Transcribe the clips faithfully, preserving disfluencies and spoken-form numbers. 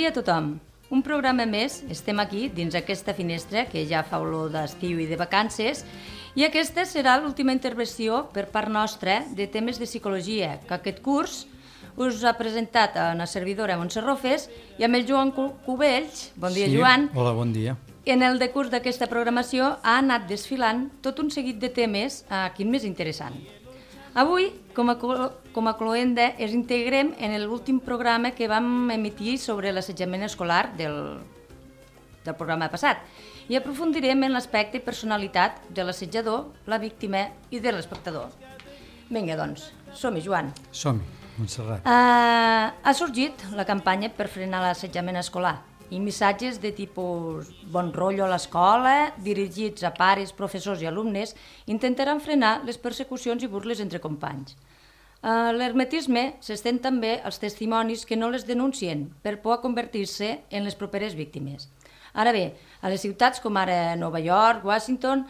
dia a tothom. Un programa més, estem aquí dins aquesta finestra que ja fa olor d'estiu i de vacances, i aquesta serà l'última intervenció per part nostra de temes de psicologia, que aquest curs us ha presentat a una servidora Montse Rofes i amb el Joan Cubells. Bon dia, sí, Joan. Hola, bon dia. En el decurs d'aquesta programació ha anat desfilant tot un seguit de temes, eh, quin més interessant. Avui, com a, com a cloenda, ens integrem en l'últim programa que vam emitir sobre l'assetjament escolar del, del programa passat i aprofundirem en l'aspecte i personalitat de l'assetjador, la víctima i de l'espectador. Vinga, doncs, som-hi, Joan. Som-hi, Montserrat. Uh, ha sorgit la campanya per frenar l'assetjament escolar i missatges de tipus bon rotllo a l'escola, dirigits a pares, professors i alumnes, intentaran frenar les persecucions i burles entre companys. A l'hermetisme s'estén també els testimonis que no les denuncien per por a convertir-se en les properes víctimes. Ara bé, a les ciutats com ara Nova York, Washington,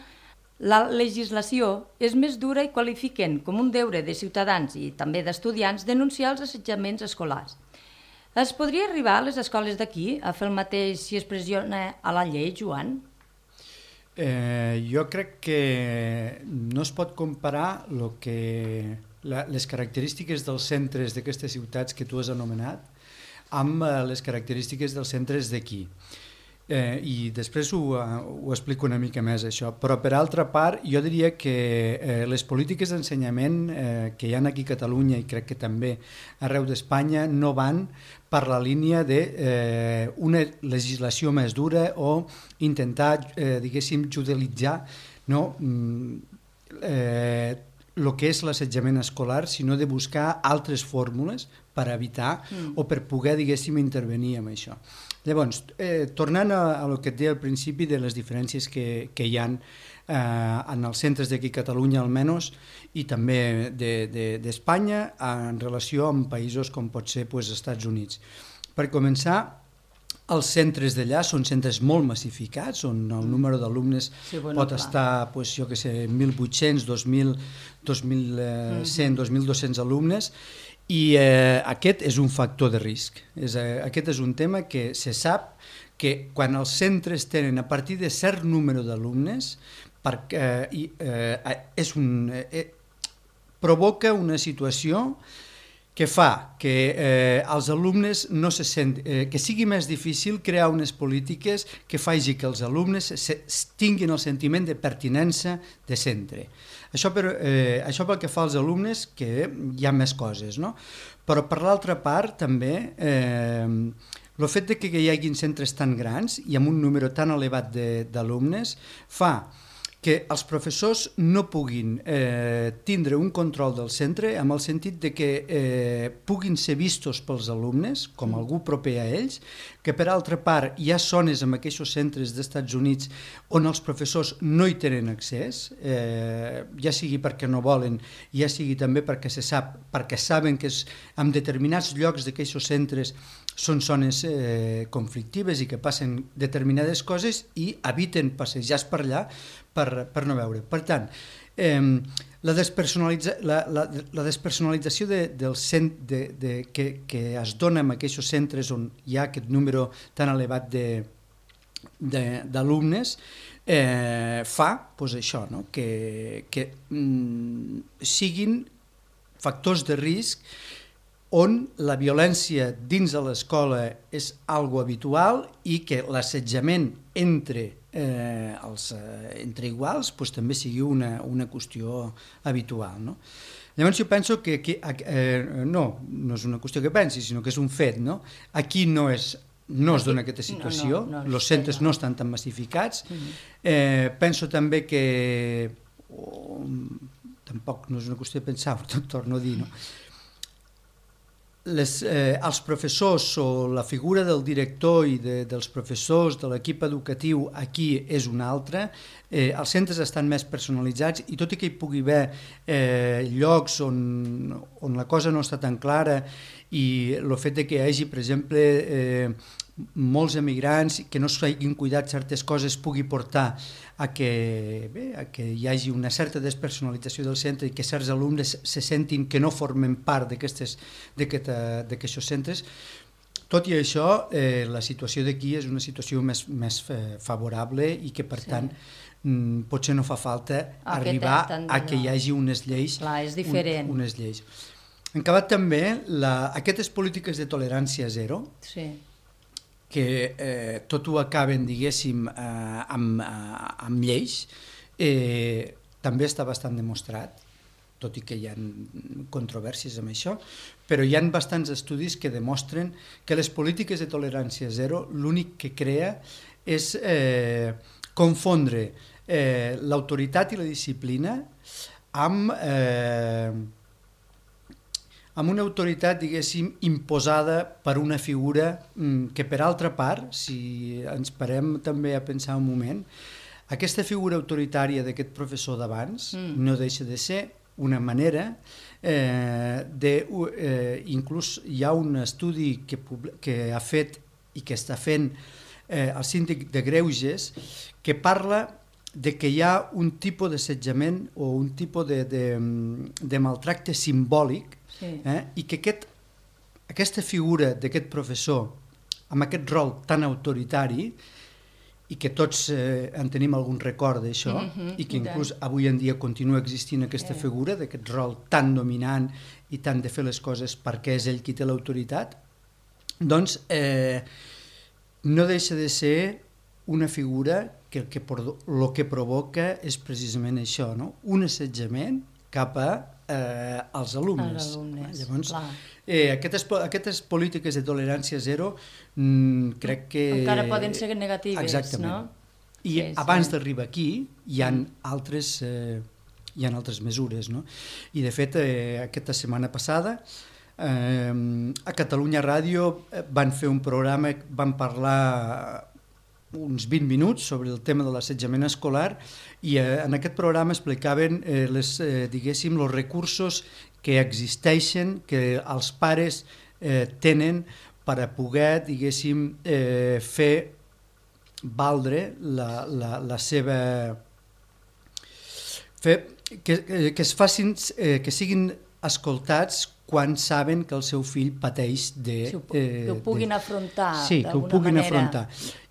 la legislació és més dura i qualifiquen com un deure de ciutadans i també d'estudiants denunciar els assetjaments escolars. Es podria arribar a les escoles d'aquí a fer el mateix si es pressiona a la llei, Joan? Eh, jo crec que no es pot comparar lo que, la, les característiques dels centres d'aquestes ciutats que tu has anomenat amb les característiques dels centres d'aquí. Eh, i després ho, ho explico una mica més això, però per altra part jo diria que eh, les polítiques d'ensenyament eh, que hi ha aquí a Catalunya i crec que també arreu d'Espanya no van per la línia d'una eh, legislació més dura o intentar, eh, diguéssim, judicialitzar no, eh, el que és l'assetjament escolar, sinó de buscar altres fórmules per evitar mm. o per poder, diguéssim, intervenir en això. Llavors, eh, tornant a, a el que et deia al principi de les diferències que, que hi ha eh, en els centres d'aquí a Catalunya almenys i també d'Espanya de, de, en relació amb països com pot ser pues, Estats Units. Per començar, els centres d'allà són centres molt massificats, on el número d'alumnes sí, bueno, pot clar. estar, pues, jo que sé, mil vuit-cents, dos mil, dos mil cent, dos mil dos-cents alumnes, i eh, aquest és un factor de risc. És, eh, aquest és un tema que se sap que quan els centres tenen a partir de cert número d'alumnes, eh, eh, és un, eh, provoca una situació que fa que eh, els alumnes no se sent, eh, que sigui més difícil crear unes polítiques que faci que els alumnes se, tinguin el sentiment de pertinença de centre. Això, per, eh, això pel que fa als alumnes, que hi ha més coses, no? Però per l'altra part també eh, el fet de que hi hagi centres tan grans i amb un número tan elevat d'alumnes fa que els professors no puguin eh, tindre un control del centre amb el sentit de que eh, puguin ser vistos pels alumnes com algú proper a ells, que per altra part hi ha zones en aquests centres d'Estats Units on els professors no hi tenen accés, eh, ja sigui perquè no volen, ja sigui també perquè se sap, perquè saben que és, en determinats llocs d'aquests centres són zones eh, conflictives i que passen determinades coses i eviten passejar per allà per, per no veure. Per tant, eh, la, despersonalitza, la, la, la despersonalització de, del cent, de, de, que, que es dona en aquests centres on hi ha aquest número tan elevat d'alumnes eh, fa pues, això, no? que, que mm, siguin factors de risc on la violència dins de l'escola és algo habitual i que l'assetjament entre, eh, els, eh, entre iguals pues, també sigui una, una qüestió habitual. No? Llavors jo penso que, que eh, no, no és una qüestió que pensi, sinó que és un fet. No? Aquí no és no es dona aquesta situació, els no, no, no, centres no estan tan massificats. Eh, penso també que, oh, tampoc no és una qüestió de pensar, però torno a dir, no? Les, eh, els professors o la figura del director i de, dels professors, de l'equip educatiu aquí és una altra, eh, els centres estan més personalitzats i tot i que hi pugui haver eh, llocs on, on la cosa no està tan clara i el fet de que hi hagi, per exemple, eh, molts emigrants que no s'hagin cuidat certes coses pugui portar a que, bé, a que hi hagi una certa despersonalització del centre i que certs alumnes se sentin que no formen part d'aquests centres. tot i això, eh, la situació d'aquí és una situació més, més favorable i que, per sí. tant, mm, potser no fa falta ah, arribar a que hi hagi unes lleis. Clar, és diferent. Un, unes lleis. En acabat també, la, aquestes polítiques de tolerància zero, sí. que eh, tot ho acaben, diguéssim, eh, amb, eh, amb lleis, eh, també està bastant demostrat, tot i que hi ha controvèrsies amb això, però hi ha bastants estudis que demostren que les polítiques de tolerància zero l'únic que crea és eh, confondre eh, l'autoritat i la disciplina amb, eh, amb una autoritat, diguéssim, imposada per una figura mm, que, per altra part, si ens parem també a pensar un moment, aquesta figura autoritària d'aquest professor d'abans mm. no deixa de ser una manera eh, de, eh, inclús hi ha un estudi que, que ha fet i que està fent eh, el síndic de Greuges que parla de que hi ha un tipus d'assetjament o un tipus de, de, de maltracte simbòlic sí. eh, i que aquest, aquesta figura d'aquest professor amb aquest rol tan autoritari i que tots eh, en tenim algun record d'això, mm-hmm, i que inclús avui en dia continua existint aquesta figura d'aquest rol tan dominant i tant de fer les coses perquè és ell qui té l'autoritat, doncs eh, no deixa de ser una figura que el que, el que provoca és precisament això, no? Un assetjament cap a eh, als alumnes. Els alumnes, Llavors, eh, aquestes, aquestes polítiques de tolerància zero mm, crec que... Encara poden ser negatives, exactament. No? I sí, abans sí. d'arribar aquí hi ha mm. altres, eh, hi ha altres mesures, no? I de fet, eh, aquesta setmana passada eh, a Catalunya Ràdio van fer un programa, van parlar uns vint minuts sobre el tema de l'assetjament escolar i eh, en aquest programa explicaven eh, les, eh, diguéssim, els recursos que existeixen, que els pares eh, tenen per a poder, diguéssim, eh, fer valdre la, la, la seva... Fer, que, que es facin, eh, que siguin escoltats quan saben que el seu fill pateix de... Sí, eh, que ho puguin de, afrontar sí, que ho puguin manera. afrontar.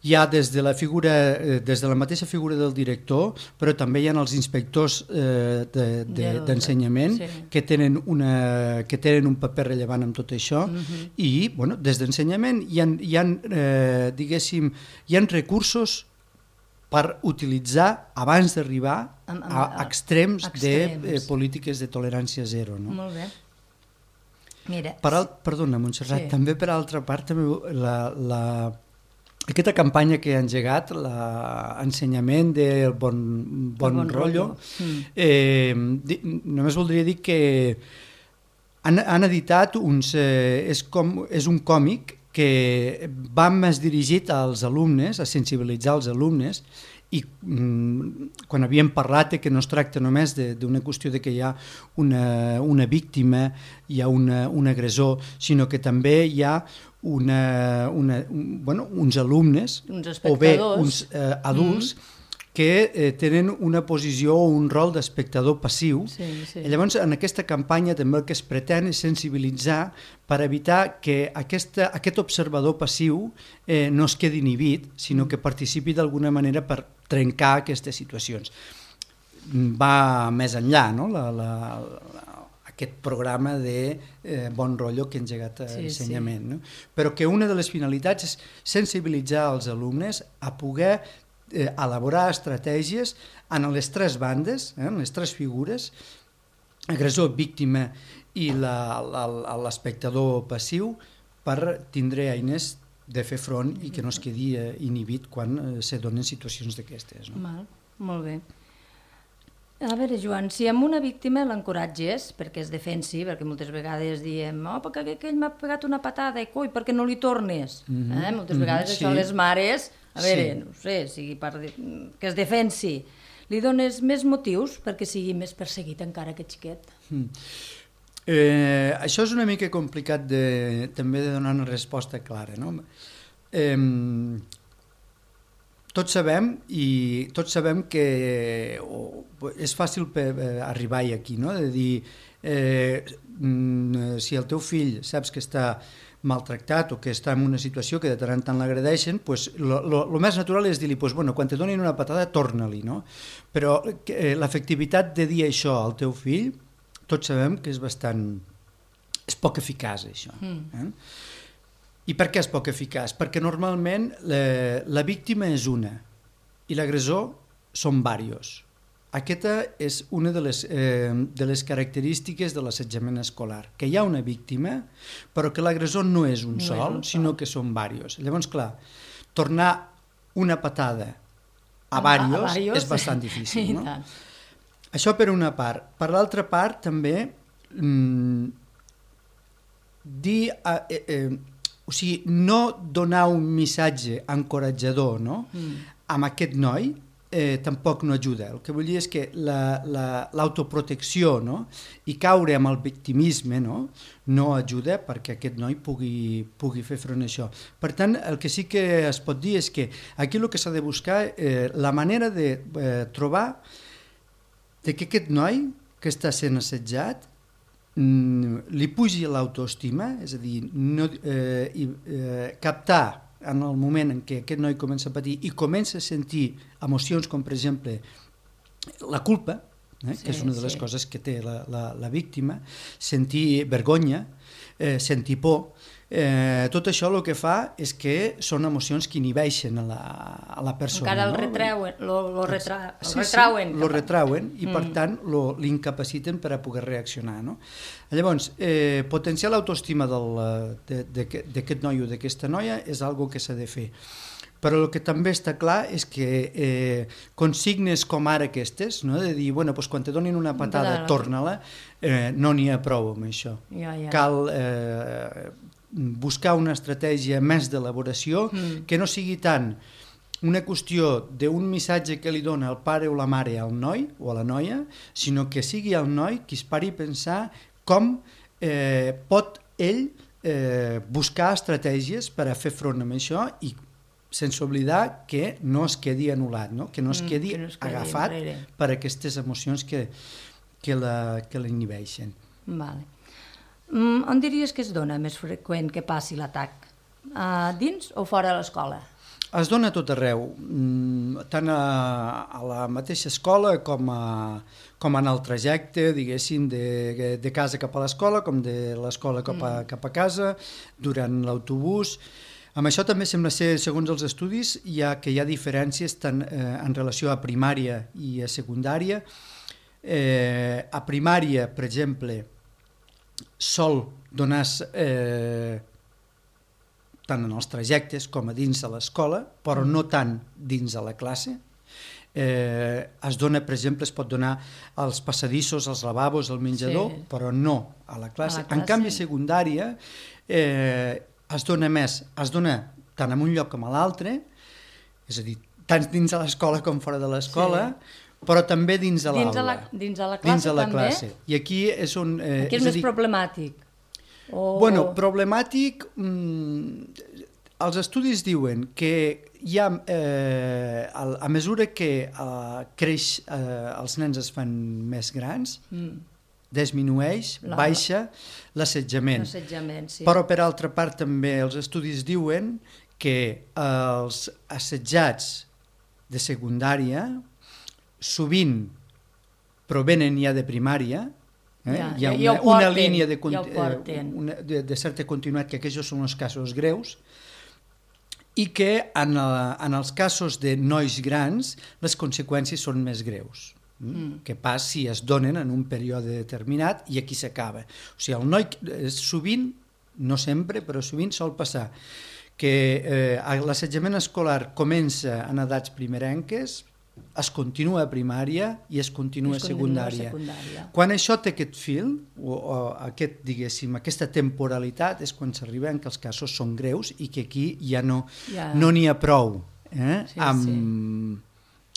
Hi ha des de la figura, eh, des de la mateixa figura del director, però també hi ha els inspectors eh, d'ensenyament de, de, sí. que, tenen una, que tenen un paper rellevant en tot això, uh-huh. i bueno, des d'ensenyament hi ha, hi ha, eh, diguéssim, hi ha recursos per utilitzar abans d'arribar a, a, a extrems, extrems. de eh, polítiques de tolerància zero. No? Molt bé. Mira, per al, perdona, Montserrat, sí. també per altra part també la, la, aquesta campanya que ha engegat, l'ensenyament del bon, bon, bon rotllo, mm. eh, di, només voldria dir que han, han editat uns, eh, és, com, és un còmic que va més dirigit als alumnes, a sensibilitzar els alumnes, i mm, quan havíem parlat de que no es tracta només d'una qüestió de que hi ha una, una víctima, hi ha una, un agressor, sinó que també hi ha una, una, un, bueno, uns alumnes uns o bé uns eh, adults mm. que eh, tenen una posició o un rol d'espectador passiu. Sí, sí. I llavors, en aquesta campanya també el que es pretén és sensibilitzar per evitar que aquesta, aquest observador passiu eh, no es quedi inhibit, sinó que participi d'alguna manera per trencar aquestes situacions. Va més enllà, no? la, la, la, aquest programa de eh, bon rotllo que ha engegat a sí, ensenyament. Sí. No? Però que una de les finalitats és sensibilitzar els alumnes a poder eh, elaborar estratègies en les tres bandes, eh, en les tres figures, agressor, víctima i l'espectador passiu, per tindre eines de fer front i que no es quedi eh, inhibit quan eh, se donen situacions d'aquestes. No? Mal, molt bé. A veure, Joan, si amb una víctima l'encoratges perquè es defensi, perquè moltes vegades diem oh, perquè aquell m'ha pegat una patada i coi, perquè no li tornes? Mm-hmm. eh? Moltes vegades mm-hmm, això sí. Les mares, a veure, sí. no sé, sigui per que es defensi, li dones més motius perquè sigui més perseguit encara aquest xiquet? Mm. Eh, això és una mica complicat de, també de donar una resposta clara, no? Eh, tots sabem i tots sabem que oh, és fàcil per, eh, arribar aquí, no? De dir eh, si el teu fill saps que està maltractat o que està en una situació que de tant en tant l'agredeixen, pues, el més natural és dir-li, pues, bueno, quan te donin una patada, torna-li, no? Però eh, l'efectivitat de dir això al teu fill, tots sabem que és bastant... és poc eficaç, això. Mm. Eh? I per què és poc eficaç? Perquè normalment la, la víctima és una i l'agressor són diversos. Aquesta és una de les, eh, de les característiques de l'assetjament escolar, que hi ha una víctima, però que l'agressor no és un no sol, és un sinó sol. Que són diversos. Llavors, clar, tornar una patada a diversos és bastant difícil. No? Això per una part. Per l'altra part, també, mmm, dir, eh, eh, o sigui, no donar un missatge encoratjador, no? mm. amb aquest noi, Eh, tampoc no ajuda. El que vull dir és que l'autoprotecció la, la, no? i caure amb el victimisme no? no ajuda perquè aquest noi pugui, pugui fer front a això. Per tant, el que sí que es pot dir és que aquí el que s'ha de buscar eh, la manera de eh, trobar de que aquest noi que està sent assetjat mm, li pugi l'autoestima, és a dir, no, eh, i, eh, captar en el moment en què aquest noi comença a patir i comença a sentir emocions com, per exemple, la culpa, eh, sí, que és una de les sí. coses que té la, la, la víctima, sentir vergonya, eh, sentir por, eh, tot això el que fa és que són emocions que inhibeixen a la, a la persona. Encara el no? retreuen, lo, lo retra, el sí, retrauen. Sí, lo retrauen i mm. per tant l'incapaciten per a poder reaccionar. No? Llavors, eh, potenciar l'autoestima d'aquest noi o d'aquesta noia és algo que s'ha de fer. Però el que també està clar és que eh, consignes com ara aquestes, no? de dir, bueno, doncs quan te donin una patada, torna-la, eh, no n'hi ha prou amb això. Ja, ja. Cal eh, buscar una estratègia més d'elaboració mm. que no sigui tant una qüestió d'un missatge que li dona el pare o la mare al noi o a la noia, sinó que sigui el noi qui es pari a pensar com eh, pot ell eh, buscar estratègies per a fer front a això i sense oblidar que no es quedi anul·lat, no? que no es quedi, mm, que no es quedi agafat enrere. Per aquestes emocions que, que l'inhibeixen. Vale. Mm, on diries que es dona més freqüent que passi l'atac? Uh, dins o fora de l'escola? Es dona a tot arreu, tant a, a la mateixa escola com, a, com en el trajecte, diguéssim, de, de casa cap a l'escola, com de l'escola cap, a, cap a casa, durant l'autobús. Amb això també sembla ser, segons els estudis, hi ha, que hi ha diferències tant eh, en relació a primària i a secundària. Eh, a primària, per exemple, sol donar eh, tant en els trajectes com a dins de l'escola, però no tant dins de la classe. Eh, es dona, per exemple, es pot donar als passadissos, als lavabos, al menjador, sí. però no a la classe. A la classe. En canvi, secundària eh, es dona més, es dona tant en un lloc com a l'altre, és a dir, tant dins de l'escola com fora de l'escola, sí. però també dins de l'aula. Dins de la classe dins de la també? Classe. I aquí és on... Eh, aquí és, és més dir, problemàtic. O... Bueno, problemàtic... Mm, els estudis diuen que hi ha, eh, a, a mesura que eh, creix, eh, els nens es fan més grans, mm. disminueix, la... baixa l'assetjament. L'assetjament, sí. Però per altra part també els estudis diuen que els assetjats de secundària sovint provenen ja de primària, eh? ja, hi ha ja, una, porten, una línia de, ja eh, una, de, de certa continuïtat que aquests són els casos greus, i que en, el, en els casos de nois grans les conseqüències són més greus. Mm. Que pas si es donen en un període determinat i aquí s'acaba. O sigui, el noi sovint, no sempre, però sovint sol passar que eh, l'assetjament escolar comença en edats primerenques, es continua a primària i es continua, es continua a secundària. secundària. Quan això té aquest fil, o, o aquest, diguéssim, aquesta temporalitat, és quan s'arriba que els casos són greus i que aquí ja no ja. no n'hi ha prou eh? sí, amb, sí.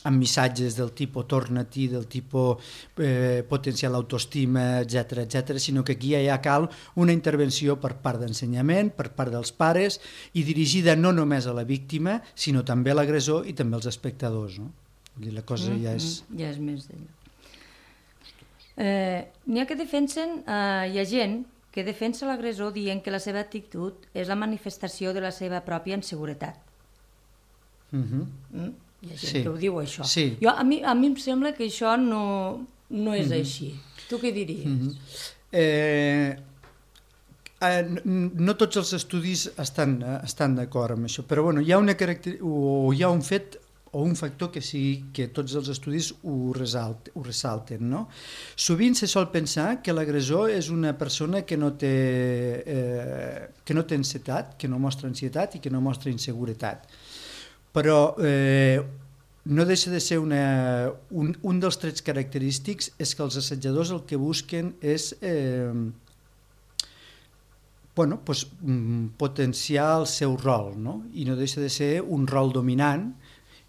amb missatges del tipus torna-t'hi, del tipus eh, potenciar l'autoestima, etcètera, etcètera, sinó que aquí ja cal una intervenció per part d'ensenyament, per part dels pares, i dirigida no només a la víctima, sinó també a l'agressor i també als espectadors, no? La cosa mm, ja és... Mm, ja és més d'ella. Eh, N'hi ha que defensen, eh, hi ha gent que defensa l'agressor dient que la seva actitud és la manifestació de la seva pròpia inseguretat. Uh-huh. Mm? Hi ha gent Sí. que ho diu, això. Sí. Jo, a, mi, a mi em sembla que això no, no és Uh-huh. així. Tu què diries? Uh-huh. eh, eh, no, no tots els estudis estan, eh, estan d'acord amb això, però bueno, hi ha una caracter... o hi ha un fet o un factor que sí que tots els estudis ho, resalt, ho ressalten, no? Sovint se sol pensar que l'agressor és una persona que no té, eh, que no té ansietat, que no mostra ansietat i que no mostra inseguretat. Però eh, no deixa de ser una, un, un dels trets característics és que els assetjadors el que busquen és eh, bueno, pues, potenciar el seu rol, no? I no deixa de ser un rol dominant,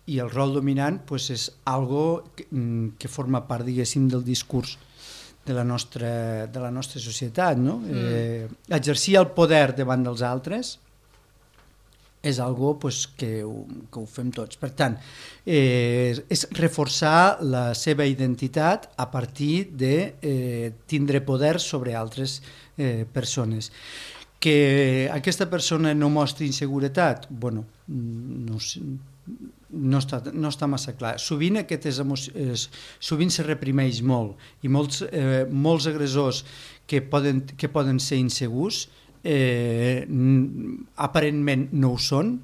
i el rol dominant pues, és algo que, que forma part, diguéssim, del discurs de la nostra, de la nostra societat, no? Mm. Eh, exercir el poder davant dels altres és algo pues, que, ho, que ho fem tots. Per tant, eh, és reforçar la seva identitat a partir de eh, tindre poder sobre altres eh, persones. Que aquesta persona no mostri inseguretat, bueno, no sé, no està, no està massa clar. Sovint aquestes emocions, sovint se reprimeix molt i molts, eh, molts agressors que poden, que poden ser insegurs eh, aparentment no ho són,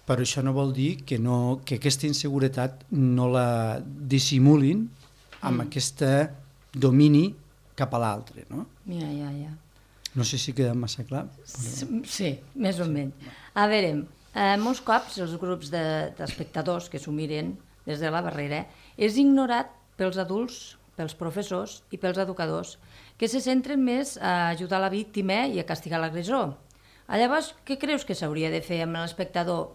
però això no vol dir que, no, que aquesta inseguretat no la dissimulin amb mm. aquest domini cap a l'altre, no? Ja, ja, ja. No sé si queda massa clar. Però... Sí, més o menys. A veure, eh, molts cops els grups d'espectadors de, que s'ho miren des de la barrera és ignorat pels adults, pels professors i pels educadors, que se centren més a ajudar la víctima i a castigar l'agressor. Llavors, què creus que s'hauria de fer amb l'espectador?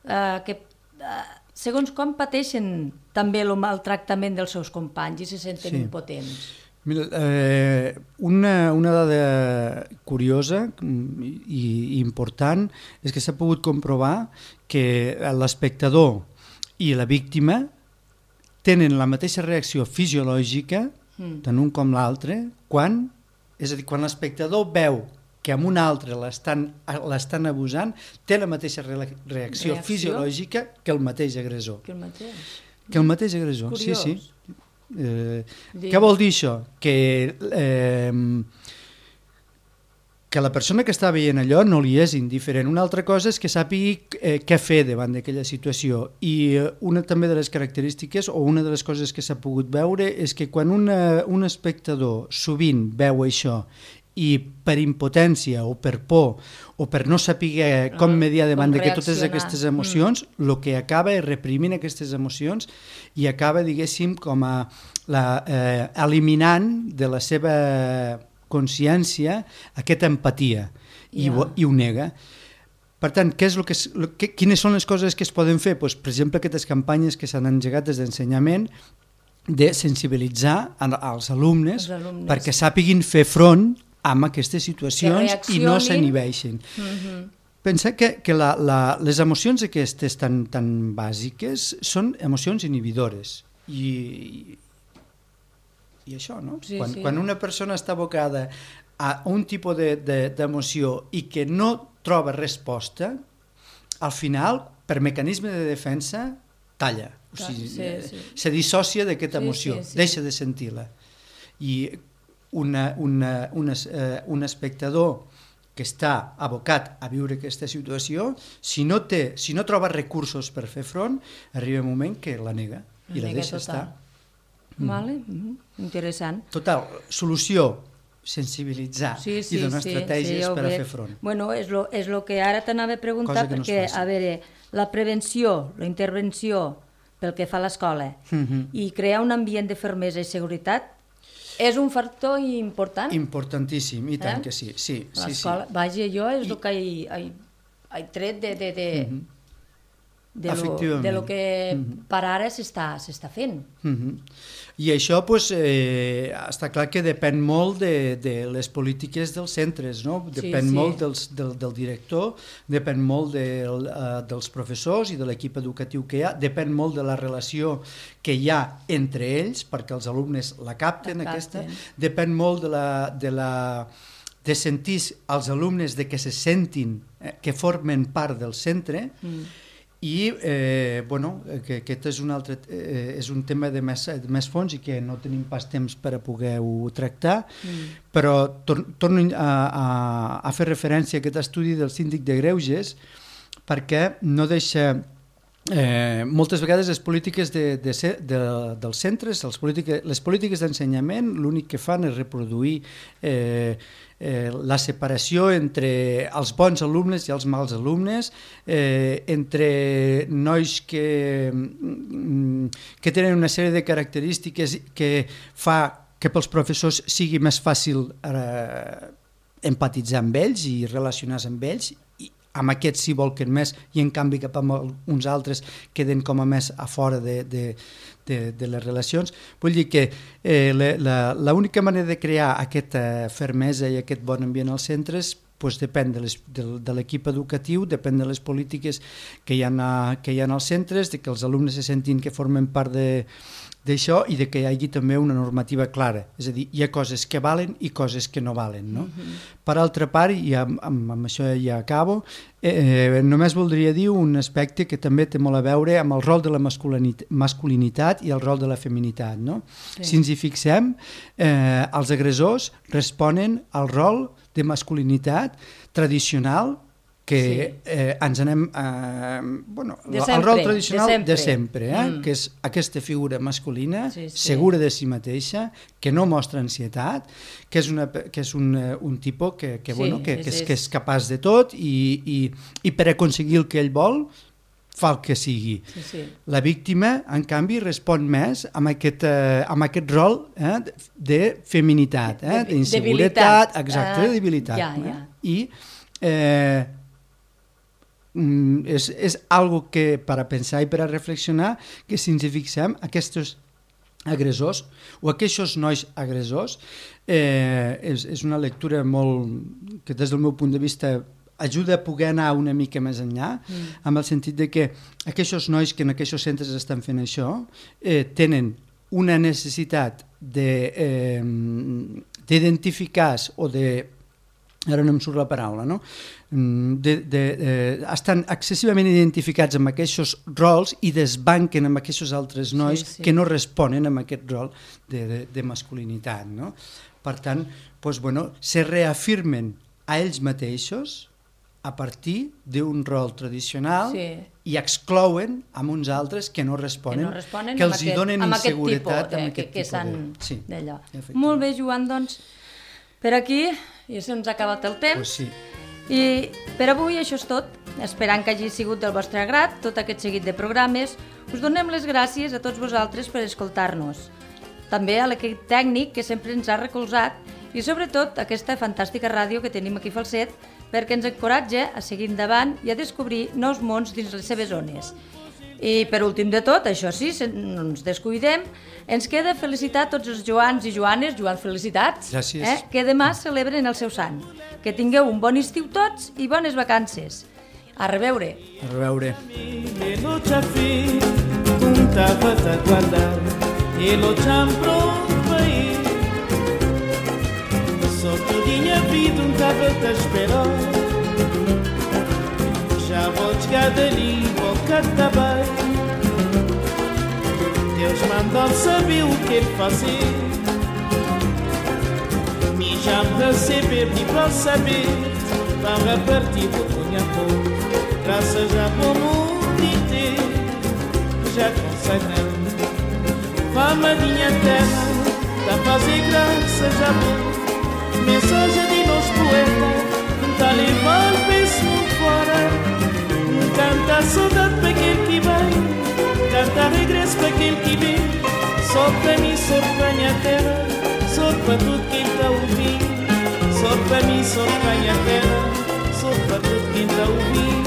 Eh, que, eh, segons com pateixen també el maltractament dels seus companys i se senten sí. impotents. Mira, eh, una, una dada curiosa i, i important és que s'ha pogut comprovar que l'espectador i la víctima tenen la mateixa reacció fisiològica, mm. tant un com l'altre, quan, és a dir, quan l'espectador veu que amb un altre l'estan abusant, té la mateixa reacció, reacció fisiològica que el mateix agressor. Que el mateix? Que el mateix agressor, Curiós. sí, sí. Eh, què vol dir això? Que, eh, que la persona que està veient allò no li és indiferent. Una altra cosa és que sàpigui eh, què fer davant d'aquella situació. I una també de les característiques o una de les coses que s'ha pogut veure és que quan una, un espectador sovint veu això i per impotència o per por o per no saber com mediar davant de totes aquestes emocions, el mm. que acaba és reprimint aquestes emocions i acaba, diguéssim, com a la, eh, eliminant de la seva consciència aquesta empatia i, yeah. ho, i ho nega. Per tant, què és lo que, lo que, quines són les coses que es poden fer? Pues, per exemple, aquestes campanyes que s'han engegat des d'ensenyament de sensibilitzar als alumnes, alumnes perquè sàpiguin fer front amb aquestes situacions i no s'inhibeixin. Mm-hmm. Pensa que, que la, la, les emocions aquestes tan, tan bàsiques són emocions inhibidores. I, i això, no? Sí, quan, sí. quan una persona està abocada a un tipus d'emoció de, de, i que no troba resposta, al final, per mecanisme de defensa, talla. O sigui, sí, sí. se dissocia d'aquesta sí, emoció, sí, sí. deixa de sentir-la. I Una, una, una, uh, un espectador que està abocat a viure aquesta situació, si no, té, si no troba recursos per fer front, arriba un moment que la nega i la, la deixa total. estar. Vale. Mm-hmm. Interessant. Total, solució, sensibilitzar sí, sí, i donar sí, estratègies sí, per a fer front. Bueno, és lo, és lo que ara t'anava a preguntar, no perquè, a veure, la prevenció, la intervenció pel que fa a l'escola mm-hmm. i crear un ambient de fermesa i seguretat és un factor important? Importantíssim, i tant eh? que sí. sí, sí, sí. Vaja, jo és I... el que he, he, he tret de, de, de, mm-hmm. de, lo, de lo que mm-hmm. per ara s'està fent. Mm-hmm. I això pues, eh, està clar que depèn molt de, de les polítiques dels centres, no? Depèn sí, sí. molt dels, del, del director, depèn molt del, uh, dels professors i de l'equip educatiu que hi ha, depèn molt de la relació que hi ha entre ells, perquè els alumnes la capten, la capten. aquesta, depèn molt de la, de la, de sentir als alumnes de que se sentin, eh, que formen part del centre, mm. i eh, bueno, que aquest és un, altre, eh, és un tema de més, de més fons i que no tenim pas temps per a poder-ho tractar, mm. però tor torno a, a, a fer referència a aquest estudi del síndic de Greuges perquè no deixa... Eh, moltes vegades les polítiques de, de, de, dels centres, les polítiques, les polítiques d'ensenyament, l'únic que fan és reproduir eh, eh, la separació entre els bons alumnes i els mals alumnes, eh, entre nois que, que tenen una sèrie de característiques que fa que pels professors sigui més fàcil eh, empatitzar amb ells i relacionar-se amb ells, amb aquests s'hi volquen més i en canvi cap a uns altres queden com a més a fora de, de, de, de les relacions. Vull dir que eh, l'única manera de crear aquesta fermesa i aquest bon ambient als centres pues, depèn de, les, de, de l'equip educatiu, depèn de les polítiques que hi ha, a, que hi ha als centres, de que els alumnes se sentin que formen part de d'això i de que hi hagi també una normativa clara, és a dir, hi ha coses que valen i coses que no valen. No? Uh-huh. Per altra part, i amb, amb, amb això ja acabo, eh, només voldria dir un aspecte que també té molt a veure amb el rol de la masculinitat, masculinitat i el rol de la feminitat. No? Sí. Si ens hi fixem, eh, els agressors responen al rol de masculinitat tradicional que sí. eh, ens anem eh, bueno, sempre, el rol tradicional de sempre, de sempre eh, mm. que és aquesta figura masculina sí, sí. segura de si mateixa, que no mostra ansietat, que és, una, que és un, un tipus que, que, sí, bueno, que, que, és, que és capaç de tot i, i, i per aconseguir el que ell vol fa el que sigui. Sí, sí. La víctima, en canvi, respon més amb aquest, eh, amb aquest rol eh, de feminitat, eh, d'inseguretat, exacte, uh, de debilitat. Ja, ja. Eh? I eh, És, és algo que per a pensar i per a reflexionar, que si ens hi fixem, aquests agressors o aquests nois agressors eh, és, és una lectura molt que des del meu punt de vista ajuda a poder anar una mica més enllà, mm. amb el sentit de que aquests nois que en aquests centres estan fent això eh, tenen una necessitat de, eh, d'identificar-se o de ara no em surt la paraula, no? De, de, eh, estan excessivament identificats amb aquests rols i desbanquen amb aquests altres nois sí, sí. que no responen amb aquest rol de, de, de masculinitat. No? Per tant, doncs, bueno, se reafirmen a ells mateixos a partir d'un rol tradicional sí. i exclouen amb uns altres que no responen, que, no responen que els hi donen inseguretat amb aquest tipus. Que, que sí, d'allò. Molt bé, Joan, doncs, per aquí ja se'ns ha acabat el temps. Pues sí. I per avui això és tot. Esperant que hagi sigut del vostre agrat tot aquest seguit de programes, us donem les gràcies a tots vosaltres per escoltar-nos. També a l'equip tècnic que sempre ens ha recolzat i sobretot a aquesta fantàstica ràdio que tenim aquí a Falset perquè ens encoratja a seguir endavant i a descobrir nous mons dins les seves zones. I per últim de tot, això sí, no ens descuidem, ens queda felicitar tots els Joans i Joanes, Joan, felicitats, eh, que demà celebren el seu sant. Que tingueu un bon estiu tots i bones vacances. A reveure. A reveure. Já vou chegar dali, vou cantar bem. Deus mandou saber o que fazer. Me já me receber, me para saber. Para partir do Cunhapô. Graças a bom mundo inteiro, já consagramos. Fama minha terra, da fazer graças a bom. Mensagem de nós poetas, tá levando penso fora. Canta a saudade para aquele que vem, canta regresso para aquele que vem. Só para mim, só para minha terra, só para tudo quem está a ouvir. Só para mim, só para minha terra, só para tudo quem está a ouvir.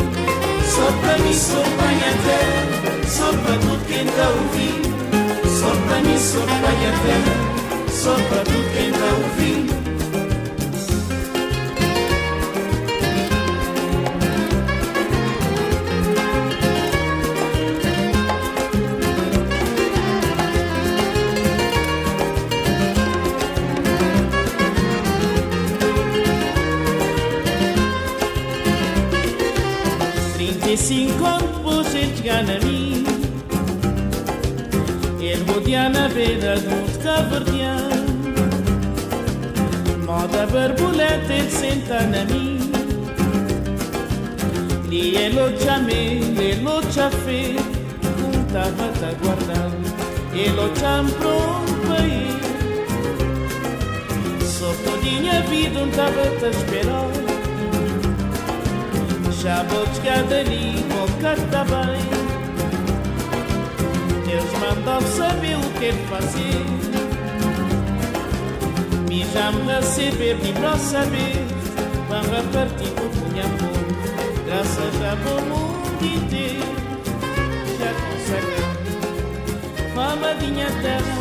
Só para mim, só para minha terra, só para tudo quem está a ouvir. Só para mim, só para minha terra, só para tudo quem está a ouvir. se encontro depois ele chegar na mim. Ele rodear na beira de um caverdeano, moda borboleta ele senta na mim. Li ele já me, ele já fez, um tava te aguardando, ele já me pronto para ir. Só todinha vida um tava te esperar. Já vou chegar dali, vou cantar bem. Deus mandou saber o que ele fazia. Me já me receber, me para saber. Vão repartir com o minha amor. Graças a bom mundo inteiro. Já consagramos famadinha terra.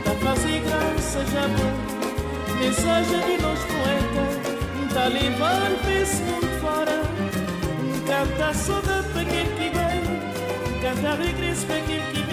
Tá fazer graça já bom. Mensagem de nós poetas. Tá levando para esse mundo fora. Canta saudade para quem que vem. Canta regresso para quem que